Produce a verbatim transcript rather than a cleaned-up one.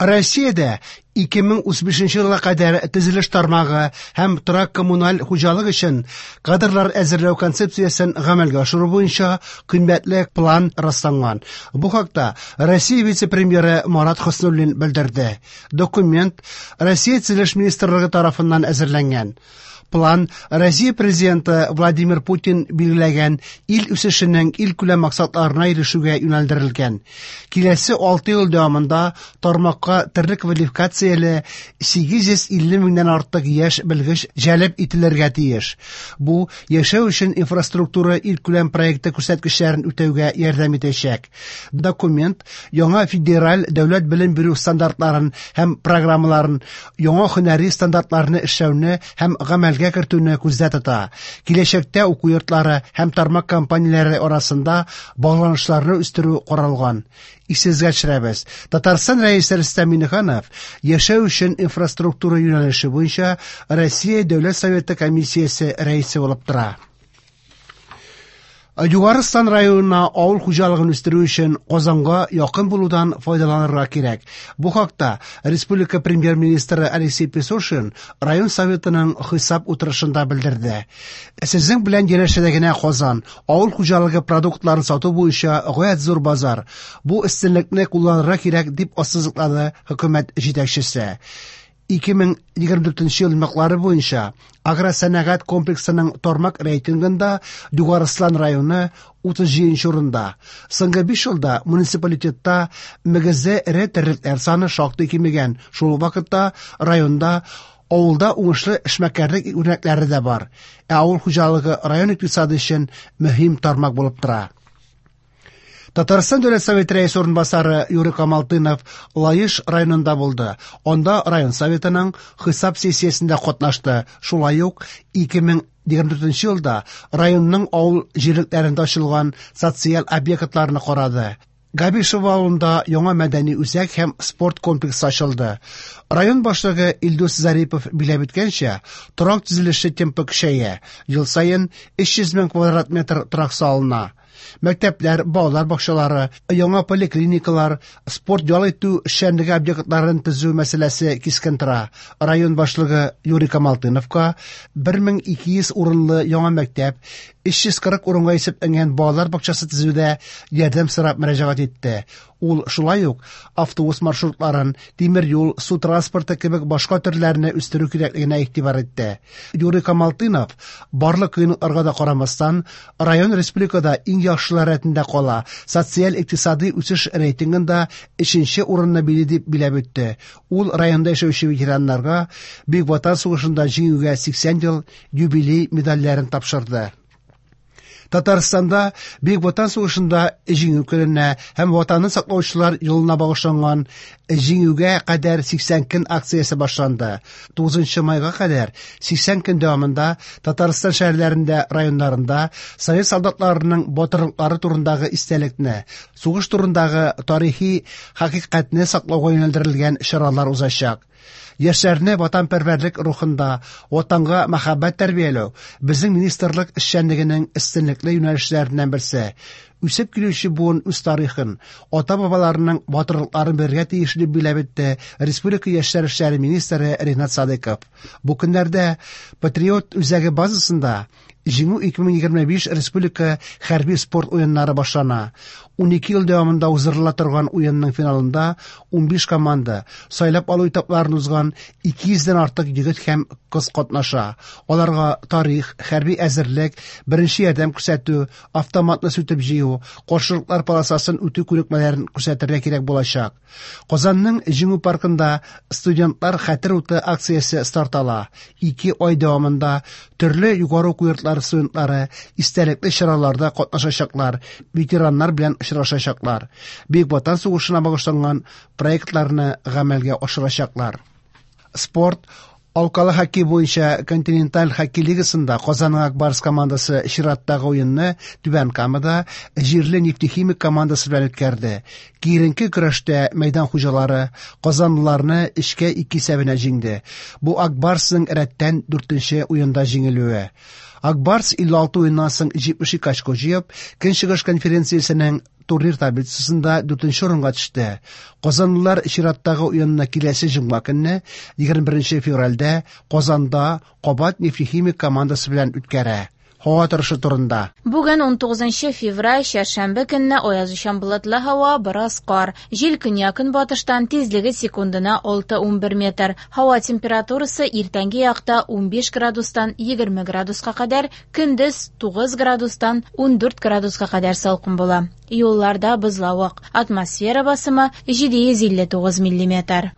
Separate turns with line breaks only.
Россиядә ике мең утыз бишенче елга кадәр төзелеш тармагы һәм торак-коммуналь хуҗалык өчен кадрлар әзерләү концепциясен гамәлгә ашыру буенча кыйммәтле план расланган. Бу хакта Россия вице-премьеры Марат Хөснуллин белдерде. Документ Россия төзелеш министрлыгы тарафыннан әзерләнгән. План Россия президенты Владимир Путин билгеләгән ил үсешенең илкүләм максатларына ирешүгә юнәлдерелгән. Киләсе алты ел дәвамында тармакка төрле квалификацияле сигез йөз илле меңнән артык яшь белгеч җәлеп ителергә тиеш. Бу яшәү өчен инфраструктура илкүләм проекты күрсәткечләрен үтәүгә ярдәм итәчәк. Документ яңа федераль дәүләт белем бирү стандартларын һәм программаларын, яңа һөнәри стандартларны эшләүне һәм гамәлгә кертүне күздә тота. Киләчәктә уку йортлары һәм тармак компанияләре арасында багланышларны үстерү каралган. Исегезгә төшерәбез. Татарстан Рәисе Рөстәм Миңнеханов яшәү өчен инфраструктура юнәлеше буенча Россия Дәүләт Советы комиссиясе рәисе булып тора. Югары Ослан районына авыл хуҗалыгын үстерү өчен Казанга якын булудан файдаланырга кирәк. Бу хакта республика премьер-министры Алексей Песошин район советының хисап утырышында белдерде. Сезнең белән янәшәдә генә Казан авыл хуҗалыгы продуктларын сату буенча гаять зур базар. Бу өстенлекне кулланырга кирәк, дип ассызыклады хөкүмәт җитәкчесе. Ике мең егерме дүртенче ел йомгаклары буенча агросәнәгать комплексының тармак рейтингында Югары Ослан районы утыз җиденче урында. Соңгы биш елда муниципалитетта мөгезле эре терлекләр саны шактый кимегән. Шул ук вакытта районда авылда уңышлы эшмәкәрлек үрнәкләре дә бар. Ә авыл хуҗалыгы район икътисады өчен мөһим тармак булып тора. Татарстан Дәүләт Советы рәисе урынбасары Юрий Камалтынов Лаеш районында булды. Анда район советының хисап сессиясендә катнашты. Шулай ук ике мең егерме дүртенче елда районның авыл җирлекләрендә ачылган социаль объектларны карады. Габишево авылында яңа мәдәни үзәк һәм спорт комплексы ачылды. Район башлыгы Илдус Зарипов биләп үткәнчә, торак төзелеше темпы көчәя. Ел саен өч йөз мең квадрат метр торак салына. Мәктәпләр, балалар бакчалары, яңа поликлиникалар, спорт ял итү эшчәнлеге объектларын төзү мәсьәләсе кискен тора. Район башлыгы Юрий Камалтыновка бер мең ике йөз урынлы яңа мәктәп, өч йөз кырык урынга исәпләнгән балалар бакчасы төзүдә ярдәм сорап мөрәҗәгать итте. Ул шулай ук автобус маршрутларын, тимер юл, су транспорты кебек башка төрләрне үстерү кирәклегенә игътибар итте. Юрий Камалтынов барлык кыенлыкларга да карамастан, район республикада иң яхшылар рәтендә кала, социаль-икътисади үсеш рейтингында өченче урынны били дип биләп үтте. Ул районда яшәүче ветераннарга Бөек Ватан сугышында җиңүгә сиксән ел юбилей медальләрен тапшырды. Татарстанда Бөек Ватан сугышында җиңү көненә һәм Ватанны саклаучылар елына багышланган җиңүгә кадәр сиксән көн акциясе башланды. Тугызынчы майга кадәр сиксән көн дәвамында Татарстан шәһәрләрендә, районнарында совет солдатларының батырлыклары турындагы истәлекне, сугыш турындагы тарихи хакыйкатьне саклауга юнәлдерелгән чаралар узачак. Яшьләрне ватанпәрвәрлек рухында, ватанга мәхәббәт тәрбияләү безнең министрлык эшчәнлегенең өстенлекле юнәлешләреннән берсе. Үсеп килүче буын үз тарихын, ата-бабаларының батырлыкларын белергә тиеш дип биләп үтте Республика яшьләр эшләре министры Ринат Садыков. Бу көннәрдә Патриот үзәге базасында Җиңү ике мең егерме биш республика хәрби спорт уеннары башлана. Унике ел дәвамында уздырыла торган уенның финалында унбиш команда сайлап алу этапларын узган ике йөздән артык егет һәм кыз катнаша. Аларга тарих, хәрби әзерлек, беренче ярдәм күрсәтү, автоматны сүтеп җыю, каршылыклар полосасын үтү күнекмәләрен күрсәтергә кирәк булачак. Казанның Җиңү паркында студентлар хәтер уты акциясе старт ала. Ике ай дәвамында төрле югары уку йортлары студентлары истәлекле чараларда катнашачаклар, ветераннар белән очрашачаклар, Бөек Ватан сугышына багышланган проектларны гамәлгә ашырачаклар. Спорт алкалы хоккей буенча континенталь хоккей лигасында Казанның Ак Барс командасы чираттагы уенны Түбән Камада җирле Нефтехимик командасы белән үткәрде. Киеренке көрәштә мәйдан хуҗалары казанлыларны өчкә ике исәбенә җиңде. Бу Ак Барсның рәттән дүртенче уенда җиңелүе. Ак Барс илле алты уеннан соң җитмеш ике очко җыеп, Көнчыгыш конференциясенең турнир таблицасында дүртенче урынга төште. Казанлылар чираттагы уенны киләсе җомга көнне, егерме беренче февральдә Казанда кабат Нефтехимик командасы белән үткәрә. Һава торышы турында.
Бүген унтугызынчы февраль, чәршәмбе көнне аязучан болытлы һава, бераз кар. Җил көньяк-көнбатыштан, тизлеге секундына алты-унбер метр. Һава температурасы иртәнге якта унбиш градустан егерме градуска кадәр, көндез тугыз градустан ундүрт градуска кадәр салкын була. Юлларда бозлавык. Атмосфера басымы җиде йөз илле тугыз миллиметр.